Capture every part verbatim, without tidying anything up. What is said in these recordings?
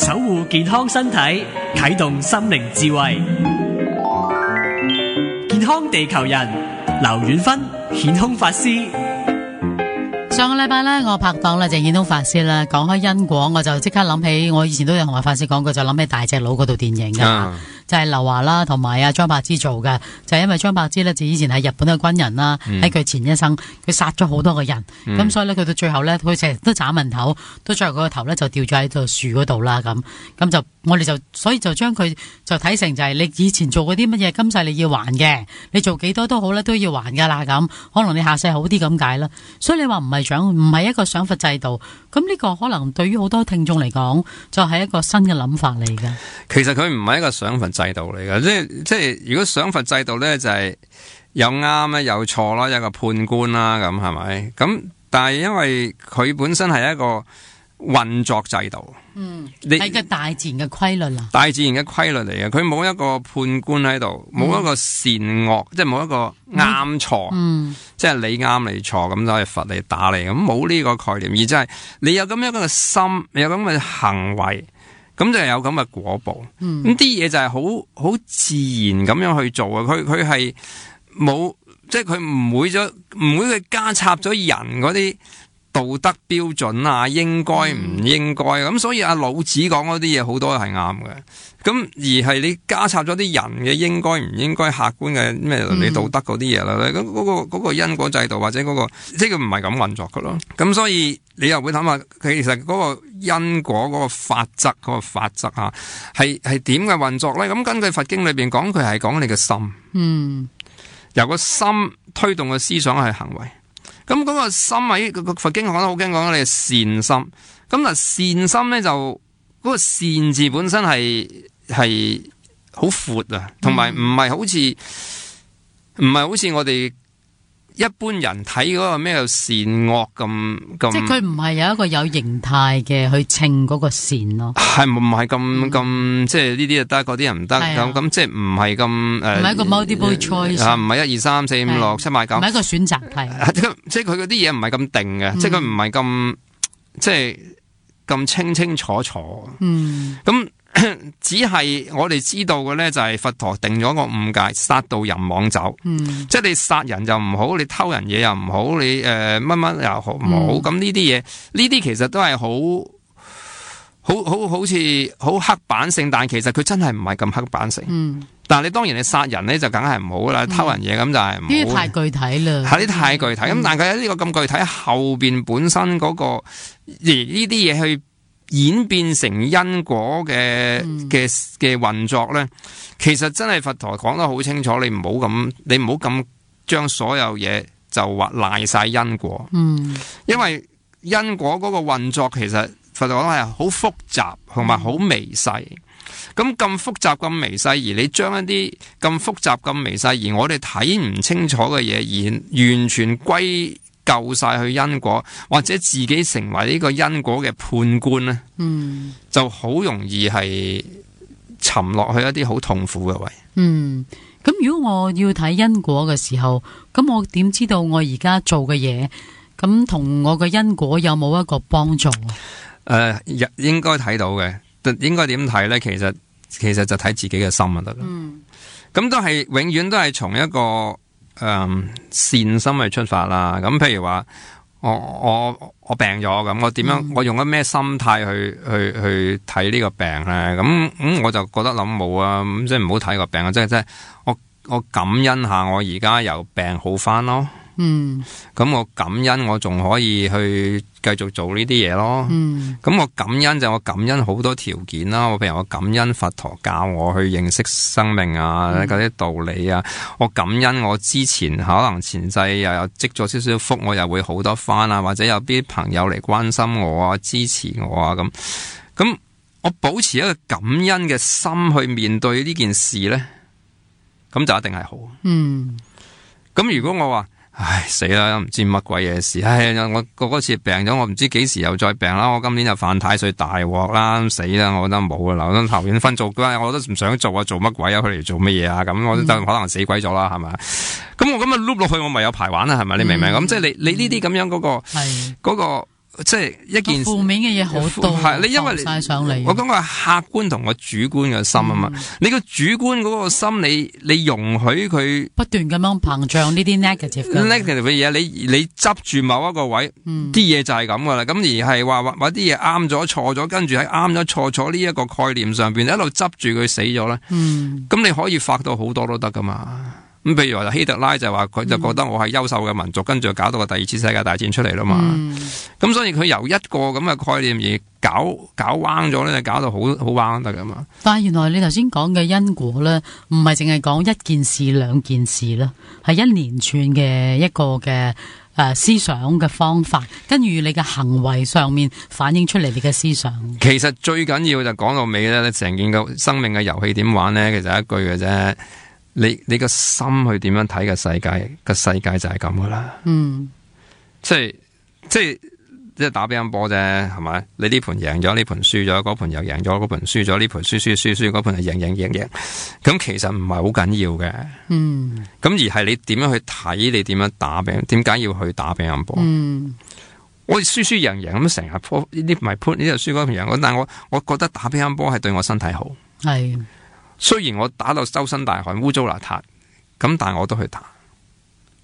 守護健康身體，啟動心靈智慧。健康地球人，劉遠芬顯空法師。上個禮拜咧，我拍檔咧就顯空法師啦，講開因果，我就即刻諗起，我以前都有同阿法師講過，就諗起大隻佬嗰套電影嘅。啊就係劉華啦，同埋阿張柏芝做嘅，就係、是、因為張柏芝咧就以前係日本嘅軍人啦，喺佢、嗯、前一生佢殺咗好多個人，咁、嗯、所以咧佢到最後咧，佢成日都斬人頭，到最後佢個頭咧就掉咗喺度樹嗰度啦，咁咁就我哋就所以就將佢就睇成就係你以前做過啲乜嘢，今世你要還嘅，你做幾多都好咧都要還噶啦，咁可能你下世好啲咁解啦。所以你話唔係獎唔係一個賞罰制度，咁呢個可能對於好多聽眾嚟講，就係、是、一個新嘅諗法嚟嘅。其實佢唔係一個賞罰制度嚟嘅，即係即係如果賞罰制度咧就係、是、有啱咧有錯啦，有個判官啦，咁係咪？咁但係因為佢本身係一個運作制度，嗯，係個大自然嘅規律啦，大自然嘅規律嚟嘅，佢冇一個判官喺度，冇、嗯、一個善惡，即係冇一個啱錯，嗯，即係你啱你錯咁就係罰你打你，咁冇呢個概念，而即係你有咁樣嘅心，你有咁嘅行為。咁就係有咁嘅果報，咁啲嘢就係好好自然咁樣去做啊！佢佢係冇，即係佢唔會咗，唔會去加插咗人嗰啲道德標準啊，應該唔應該咁，嗯、所以阿老子講嗰啲嘢好多係啱嘅。咁而係你加插咗啲人嘅應該唔應該客觀嘅咩倫理道德嗰啲嘢啦，咁嗰、嗯嗰個、嗰個因果制度或者嗰、嗰個即係佢唔係咁運作噶咯。咁所以你又會諗下，其實嗰個因果嗰個法則嗰、嗰個法則啊，係係點嘅運作咧？咁根據佛經裏邊講，佢係講你嘅心，嗯，由個心推動嘅思想係行為。咁嗰個心喺個佛經講得好驚，講你嘅善心。咁嗱，善心咧就嗰、嗰個善字本身係係好闊啊，同埋唔係好似唔係好似我哋一般人睇嗰個咩叫善惡咁咁。即係佢唔係有一個有形態嘅去稱嗰個善咯。係唔係咁咁？即係呢啲就得，嗰啲人唔得咁咁，即係唔係咁誒？唔係一個 multiple choice 啊，唔係一二三四五六七八九，唔係一個選擇題。即係佢嗰啲嘢唔係咁定嘅，嗯、即係佢唔係咁即係咁清清楚楚。嗯，咁。只係我哋知道嘅咧，就係佛陀定咗個五戒，殺盜淫妄酒。嗯，即係你殺人就唔好，你偷人嘢又唔好，你誒乜乜又好唔好。咁呢啲嘢，呢啲其實都係好好好好似好刻板性，但係其實佢真係唔係咁刻板性。嗯，但係你當然你殺人咧就梗係唔好啦，嗯、偷人嘢咁就係唔好。呢啲太具體啦，係啲太具體。咁、嗯、但係喺呢個咁具體後邊本身嗰、嗰個而呢啲嘢去。演變成因果嘅嘅嘅運作咧，其實真係佛陀講得好清楚，你唔好咁，你唔好咁將所有嘢就話賴晒因果。嗯，因為因果嗰個運作其實佛陀講係好複雜同埋好微細。咁咁複雜咁微細，而你將一啲咁複雜咁微細，而我哋睇唔清楚嘅嘢，而完全歸救晒去因果，或者自己成為呢個因果嘅判官咧，嗯，就好容易係沉落去一啲好痛苦嘅位。嗯，咁如果我要睇因果嘅時候，咁我點知道我而家做嘅嘢，咁同我嘅因果有冇一個幫助？誒、呃，應該睇到嘅，應該點睇咧？其實其實就睇自己嘅心就得啦。嗯，咁都係永遠都係從一個。誒、嗯，善心去出發啦。咁譬如話，我我我病咗，咁我點樣？嗯、我用咗咩心態去去去睇呢個病咧？咁咁、嗯、我就覺得諗冇啊，咁即係唔好睇個病啊！即係即係我我感恩下我而家由病好翻咯。嗯，咁我感恩我仲可以去繼續做呢啲嘢咯。嗯，咁我感恩就我感恩好多條件啦。我譬如我感恩佛陀教我去認識生命啊，嗰啲、嗯、道理啊。我感恩我之前可能前世又有積咗少少福，我又會好多翻啊。或者有啲朋友嚟關心我啊，支持我啊，咁咁我保持一個感恩嘅心去面對呢件事咧，咁就一定係好。嗯，咁如果我話，唉死啦，唔知乜鬼嘢事。唉，我嗰次病咗，我唔知幾時又再病啦。我今年就犯太歲大鑊啦，死啦！我覺得冇啦，我頭先分做，我都唔想做啊，做乜鬼啊？佢嚟做乜嘢啊？咁我都可能死鬼咗啦，係咪？咁我咁啊碌落去，我咪有排玩啦，係咪？你明唔明？咁、嗯、即係你你呢啲咁樣嗰、嗰個嗰、嗯嗰個即係一件負面嘅嘢好多，係你因為晒上嚟。我講個係客觀同個主觀嘅心啊嘛，嗯、你個主觀嗰個心，你你容許佢不斷咁樣膨脹呢啲 negative negative 嘅嘢，你你執住某一個位，啲嘢、嗯、就係咁噶啦。咁而係話話啲嘢啱咗錯咗，跟住喺啱咗錯咗呢一個概念上邊一路執住佢死咗咧。咁、嗯、你可以發到好多都得噶嘛。咁譬如話希特拉就話佢就覺得我係優秀嘅民族，嗯、跟住搞到個第二次世界大戰出嚟啦嘛。咁、嗯、所以佢由一個咁嘅概念而搞搞彎咗咧，就搞到好好彎得噶嘛。但係原來你頭先講嘅因果咧，唔係淨係講一件事兩件事啦，係一連串嘅一個嘅誒、呃、思想嘅方法，跟住你嘅行為上面反映出嚟你嘅思想。其實最緊要就講到尾咧，成件個生命嘅遊戲點玩咧，其實係一句嘅啫。你你個心去點樣睇個世界？個世界就係咁噶啦。嗯，即係即係即係打乒乓波啫，係咪？你呢盤贏咗，呢盤輸咗，嗰盤又贏咗，嗰盤輸咗，呢盤輸輸輸輸，嗰盤係贏贏贏贏。咁其實唔係好緊要嘅。嗯。咁而係你點樣去睇？你點樣打乒？點解要去打乒乓波？嗯。我哋輸輸贏贏咁成日波呢啲唔係盤，呢度輸嗰盤贏。但係我我覺得打乒乓波係對我身體好。係。雖然我打到周身大汗、污糟邋遢，咁但係我都去打。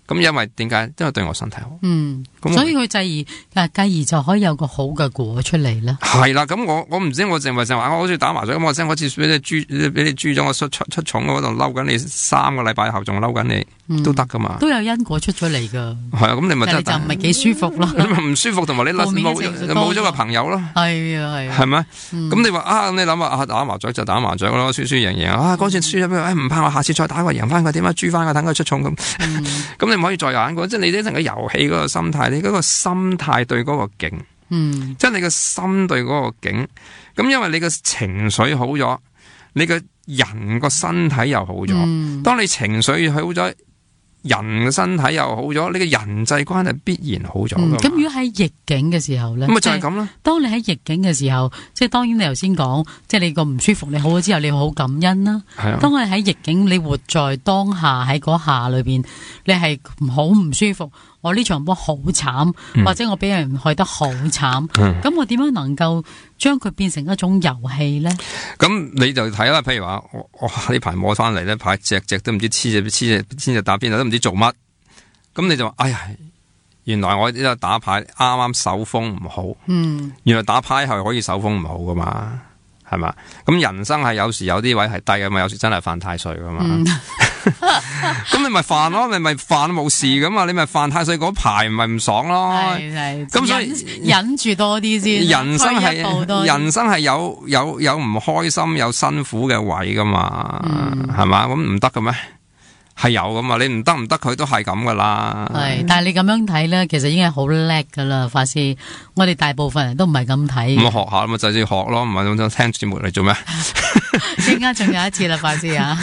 咁因為點解？因為對我身體好。嗯，咁所以佢繼而，繼而就可以有個好嘅果出嚟咧。係啦，咁我我唔知我淨係淨話我好似打麻雀咁，我真好似俾你豬俾你豬咗，我出出出重嗰度嬲緊你三個禮拜後仲嬲緊你，嗯、都得噶嘛。都有因果出咗嚟噶。係啊，咁你咪真係就唔係幾舒服咯。你咪唔舒服，同埋你冇冇咗個朋友咯。係啊係。係咪？咁、嗯、你話啊，你諗啊，打麻雀就打麻雀咯，輸輸贏贏啊，嗰次輸咗俾佢，唔怕我下次再打過贏翻佢，點解輸翻佢，等佢出重咁。咁你唔可以再玩過，即係你呢成個遊戲嗰個心態，你嗰個心態對嗰個境，嗯，即係你個心對嗰個境。咁因為你個情緒好咗，你個人個身體又好咗。嗯、當你情緒好咗，人嘅身體又好咗，你嘅人際關係必然好咗。咁、嗯、如果喺逆境嘅時候咧，咁咪就係咁啦。當你喺逆境嘅時候，即係當然你頭先講，即係你個唔舒服，你好咗之後，你好感恩啦。係啊。當我喺逆境，你活在當下喺嗰下裏邊，你係好唔舒服。我呢場波好慘，或者我俾人害得好慘，咁、嗯、我點樣能夠將佢變成一種遊戲咧？咁你就睇啦，譬如話我我呢排摸翻嚟咧，排隻隻都唔知黐隻黐隻黐隻打邊度都唔知做乜，咁你就話哎呀，原來我呢個打牌啱啱手風唔好，嗯，原來打牌係可以手風唔好噶嘛，係嘛？咁人生係有時有啲位係低噶嘛，有時真係犯太歲噶嘛。嗯咁你咪煩咯，你咪煩冇事噶嘛，你咪犯太歲嗰排唔係唔爽咯。係係，咁所以忍住多啲先。人生係人生係有有有唔開心有辛苦嘅位噶嘛，係嘛、嗯？咁唔得嘅咩？係有噶嘛？你唔得唔得，佢都係咁噶啦。係，但係你咁樣睇咧，其實已經係好叻噶啦，法師。我哋大部分人都唔係咁睇。咁學下咪就係要學咯，唔係咁聽節目嚟做咩？陣間仲有一次啦，法師啊！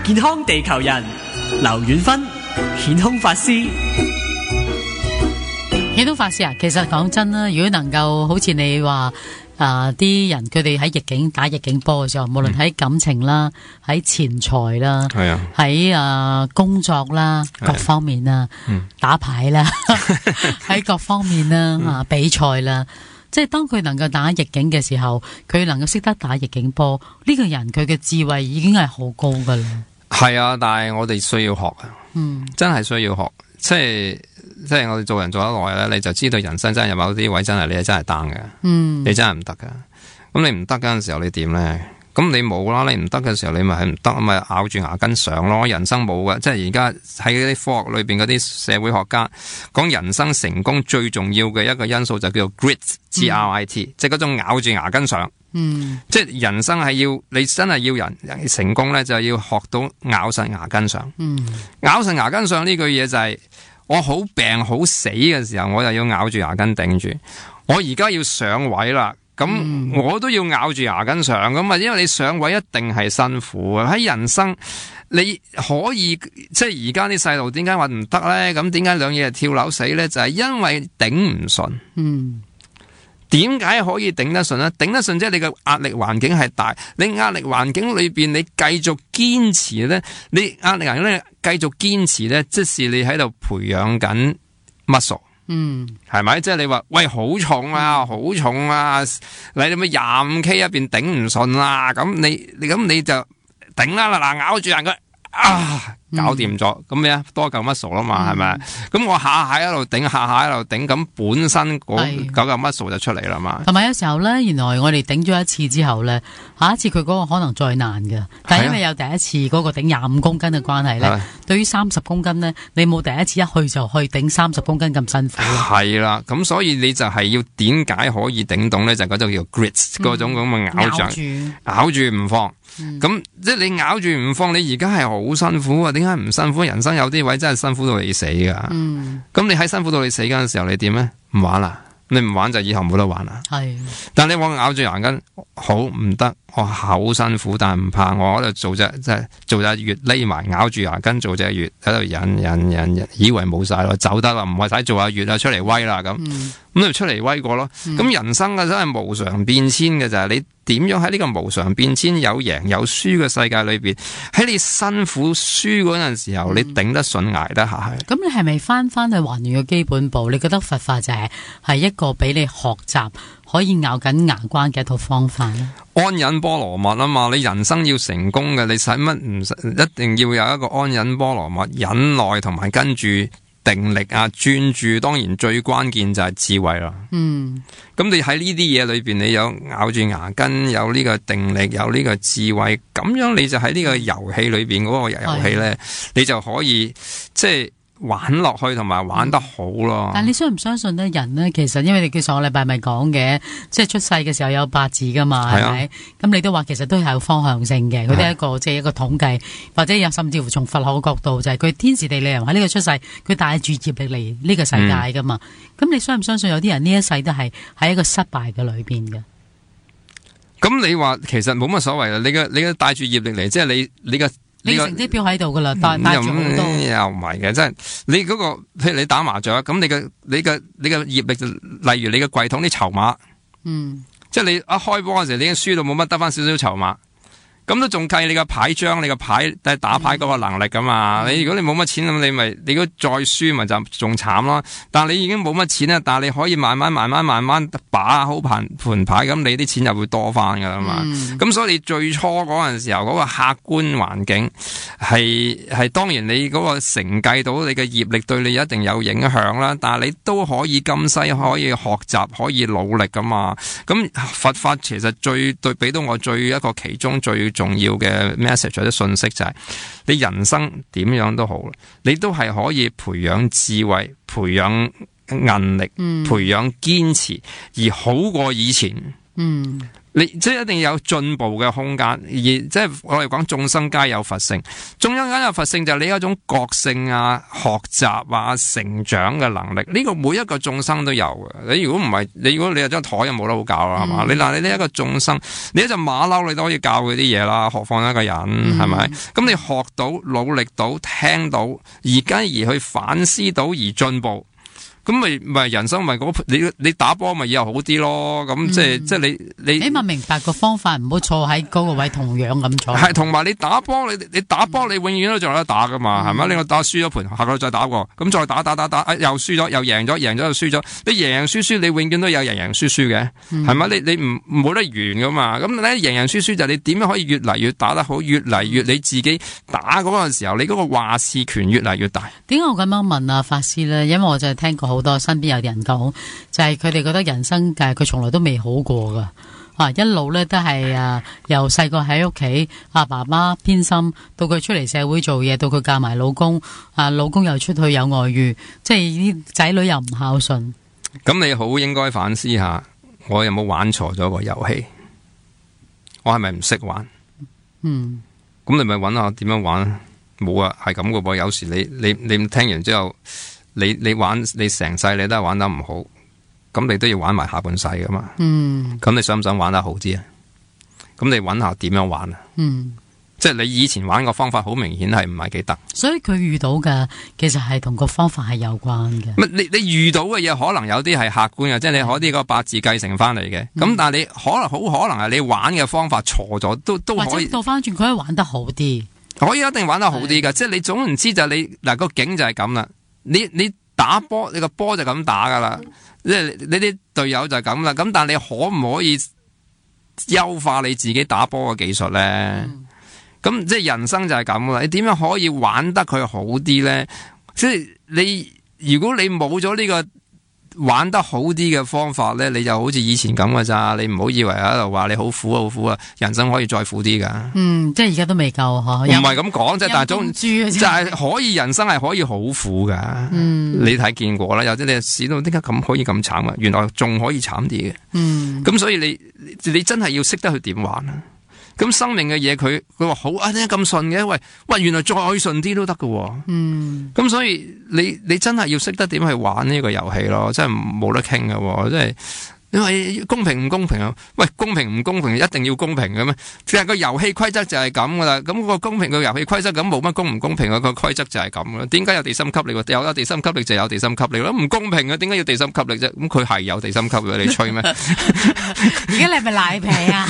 健康地球人，劉遠芬，顯空法師。顯空法師啊，其實講真啦，如果能夠好似你話啊啲人佢哋喺逆境打逆境波嘅時候，無論喺感情啦、喺錢財啦、喺啊工作啦各方面啦、嗯、打牌啦、喺各方面啦啊比賽啦。即係當佢能夠打逆境嘅時候，佢能夠識得打逆境波，呢、這個人佢嘅智慧已經係好高噶啦。係啊，但係我哋需要學啊，嗯，真係需要學。即係即係我哋做人做得耐咧，你就知道人生真係有某啲位真係你係真係 down 嘅，嗯，你真係唔得噶。咁你唔得嗰陣時候你點咧？咁你冇啦，你唔得嘅時候你咪係唔得，咪咬住牙根上咯。人生冇嘅，即係而家喺嗰啲科學裏邊嗰啲社會學家講人生成功最重要嘅一個因素就叫做 grit，G R I T，嗯、即係嗰種咬住牙根上。嗯，即係人生係要你真係要人成功咧，就係要學到咬實牙根上。嗯，咬實牙根上呢句嘢就係、是、我好病好死嘅時候，我就要咬住牙根頂住。我而家要上位啦。咁、嗯、我都要咬住牙根上咁啊，因為你上位一定係辛苦啊。喺人生你可以即係而家啲細路點解話唔得咧？咁點解兩嘢係跳樓死咧？就係、是、因為頂唔順。嗯，點解可以頂得順咧？頂得順即係你嘅壓力環境係大，你壓力環境裏邊你繼續堅持咧，你壓力環境咧繼續堅持咧，即是你喺度培養緊 muscle。嗯，係咪？即係你話喂好重啊，好重啊！你哋咪廿五 K 一邊頂唔順啦，咁你你咁你就頂啦嗱，咬住人佢啊，搞掂咗，咁咩啊？多嚿 muscle 啦嘛，係咪？咁我下下喺度頂，下下喺度頂，咁本身嗰九嚿 muscle 就出嚟啦嘛。同埋有時候咧，原來我哋頂咗一次之後咧，下一次佢嗰個可能再難㗎。但係因為有第一次嗰個頂廿五公斤嘅關係咧，啊、對於三十公斤咧，你冇第一次一去就去頂三十公斤咁辛苦。係啦，咁所以你就係要點解可以頂動咧？就嗰、是、種叫 grits 嗰、嗯、種咁嘅咬住，咬住唔放。咁、嗯、即係你咬住唔放，你而家係好辛苦啊！點解唔辛苦？人生有啲位真係辛苦到你死噶。咁、嗯、你喺辛苦到你死嗰陣時候，你點咧？唔玩啦，你唔玩就以後冇得玩啦。係，但你往咬住牙根，好唔得，我好辛苦，但係唔怕，我喺度做隻即係做隻月匿埋，咬住牙根做隻月喺度忍忍忍忍，以為冇晒咯，走得啦，唔係使做下月啊，出嚟威啦咁。咁、嗯、你就出嚟威過咯。咁、嗯、人生嘅真係無常變遷嘅就係你。點樣喺呢個無常變遷有贏有輸嘅世界裏邊，喺你辛苦輸嗰陣時候，嗯、你頂得順捱得下去。咁你係咪翻翻去還原嘅基本步？你覺得佛法就係係一個俾你學習可以咬緊牙關嘅一套方法咧？安忍波羅蜜啊嘛，你人生要成功嘅，你使乜唔一定要有一個安忍波羅蜜、忍耐同埋跟住定力啊、專注，當然最關鍵就係智慧啦。嗯，咁你喺呢啲嘢裏邊，你有咬住牙根，有呢個定力，有呢個智慧，咁樣你就喺呢個遊戲裏邊嗰個遊戲咧，你就可以即係玩落去，同埋玩得好咯。但係你相唔相信咧？人咧，其實因為你叫上個禮拜咪講嘅，即係出世嘅時候有八字噶嘛，係咪？咁你都話其實都係有方向性嘅，佢都係一個即係一個統計，或者有甚至乎從佛學嘅角度，就係佢天時地利人喺呢個出世，佢帶住業力嚟呢個世界噶嘛。咁、嗯、你相唔相信有啲人呢一世都係喺一個失敗嘅裏邊嘅？咁你話其實冇乜所謂啦，你嘅你嘅帶住業力嚟，即係你你嘅。你成績表喺度噶啦，帶帶住好多。又唔係嘅，即係你嗰、那個，譬如你打麻雀，咁你嘅你嘅你嘅業力，例如你嘅櫃桶啲籌碼，嗯，即係你一開波嗰時候，你已經輸到冇乜，得翻少少籌碼。咁都仲計你個牌張，你個牌打牌嗰個能力噶嘛？嗯、你如果你冇乜錢咁，你咪你如果再輸咪就仲慘咯。但係你已經冇乜錢啦，但係你可以慢慢慢慢慢慢把好盤盤牌，咁你啲錢就會多翻噶啦嘛。咁、嗯、所以你最初嗰陣時候嗰、嗰個客觀環境係係當然你嗰個承繼到你嘅業力對你一定有影響啦。但係你都可以今世可以學習，可以努力噶嘛。咁佛法其實最對俾到我最一個其中最重要嘅 message 或者信息就係、是、你人生點樣都好，你都係可以培養智慧、培養韌力、嗯、培養堅持，而好過以前。嗯，你即係一定有進步嘅空間，而即係我哋講眾生皆有佛性，眾生皆有佛性就係你一種覺性啊、學習啊、成長嘅能力。呢、這個每一個眾生都有嘅。你如果唔係，你如果你有張台又冇得好教啦，係嘛、嗯？你嗱，你呢一個眾生，你一隻馬騮你都可以教佢啲嘢啦，何況一個人係咪？咁、嗯、你學到、努力到、聽到，而家而去反思到而進步。咁咪咪人生咪嗰你你打波咪以後好啲咯，咁即係即係你你起碼明白個方法，唔好坐喺嗰個位同樣咁坐。係同埋你打波，你你打波你永遠都仲有得打噶嘛，係咪、嗯？你個打輸咗盤，下個再打過，咁再打打打打，又輸咗又贏咗，贏咗又輸咗。你贏贏輸輸，你永遠都有贏贏輸輸嘅，係咪、嗯？你你唔冇得完噶嘛？咁咧贏贏輸輸就係你點樣可以越嚟越打得好，越嚟越你自己打嗰個時候，你嗰個話事權越嚟越大。點解我咁樣問啊，法師咧？因為我就係聽過好多身邊有啲人講，就係佢哋覺得人生嘅佢從來都未好過噶，啊一路咧都係啊由細個喺屋企阿爸爸偏心，到佢出嚟社會做嘢，到佢嫁埋老公，啊老公又出去有外遇，即係啲仔女又唔孝順。咁你好應該反思下，我有冇玩錯咗個遊戲？我係咪唔識玩？嗯，咁你咪揾下點樣玩？冇啊，係咁噶噃。有時你你你聽完之後。你你玩你成世你都係玩得唔好，咁你都要玩埋下半世噶嘛？嗯，咁你想唔想玩得好啲啊？咁你揾下點樣玩啊？嗯，即係你以前玩個方法好明顯係唔係幾得，所以佢遇到嘅其實係同個方法係有關嘅。你你遇到嘅嘢可能有啲係客觀嘅，即係你可啲個八字繼承翻嚟嘅。咁、嗯、但係你可能好可能係你玩嘅方法錯咗，都都可以。或者倒翻轉，佢可以玩得好啲，可以一定玩得好啲噶。即係你總唔知就你嗱、個景就係咁啦。你你打波，你個波就咁打噶啦。即係你啲隊友就係咁啦。咁但係你可唔可以優化你自己打波嘅技術咧？嗯咁即係人生就係咁啦，你點樣可以玩得佢好啲咧？即係你如果你冇咗呢個玩得好啲嘅方法咧，你就好似以前咁噶咋？你唔好以為喺度話你好苦好苦啊！人生可以再苦啲噶。嗯，即係而家都未夠嗬。唔係咁講啫，但係總就係可以人生係可以好苦噶。嗯，你睇見過啦，有啲你試到點解咁可以咁慘啊？原來仲可以慘啲嘅。嗯，咁所以你你真係要識得去點玩啊！咁生命嘅嘢，佢佢話好啊，點解咁順嘅？喂喂，原來再順啲都得㗎。嗯，咁所以你你真係要識得點去玩呢個遊戲咯，真係冇得傾㗎，真係。因為公平唔公平啊？喂，公平唔公平一定要公平嘅咩？其實個遊戲規則就係咁噶啦。咁個公平嘅遊戲規則咁冇乜公唔公平嘅個規則就係咁啦。點解有地心吸力？有咗地心吸力就有地心吸力咯。唔公平嘅，點解要地心吸力啫？咁佢係有地心吸力，你吹咩？而家你係咪賴皮啊？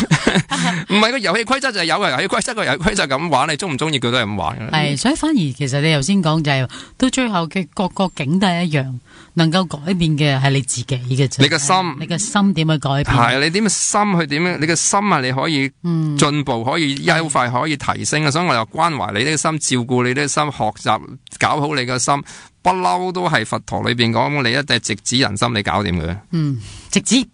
唔係個遊戲規則就係有嘅遊戲規則，個遊戲規則咁玩，你中唔中意佢都係咁玩嘅。係，所以反而其實你頭先講就係、是、到最後嘅各個境都係一樣，能夠改變嘅係你自己嘅啫。你個心，你個心點去改變？係你點心去點樣？你嘅心啊，你可以進步，可以優化，可以提升啊！所以我又關懷你呢個心，照顧你呢個心，學習搞好你個心，不嬲都係佛陀裏邊講，你一定直指人心，你搞掂佢。嗯，直指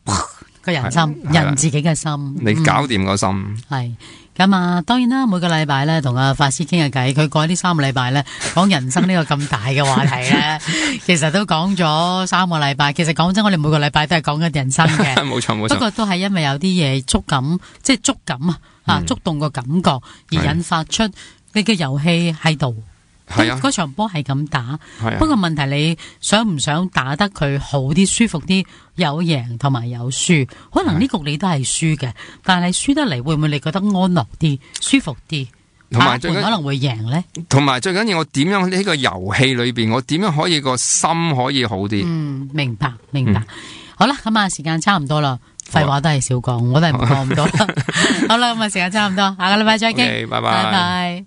個人心，人自己嘅心，你搞掂個心。係、嗯。咁啊，當然啦，每個禮拜咧同阿法師傾下偈，佢過呢三個禮拜咧講人生呢個咁大嘅話題咧，其實都講咗三個禮拜。其實講真，我哋每個禮拜都係講緊人生嘅，冇錯冇錯。不過都係因為有啲嘢觸感，即係觸感啊，啊觸動個感覺而引發出你嘅遊戲喺度。係啊，嗰場波係咁打，啊、不過問題你想唔想打得佢好啲、舒服啲，有贏同埋有輸，可能呢局你都係輸嘅，但係輸得嚟會唔會你覺得安樂啲、舒服啲？同埋最緊可能會贏呢？同埋最緊要我點樣喺呢個遊戲裏邊，我點樣可以個心可以好啲？嗯，明白明白。嗯、好啦，咁啊時間差唔多啦，廢話都係少講，我都係唔講咁多。好啦，咁啊時間差唔多，下個禮拜再見， okay, 拜拜。拜拜。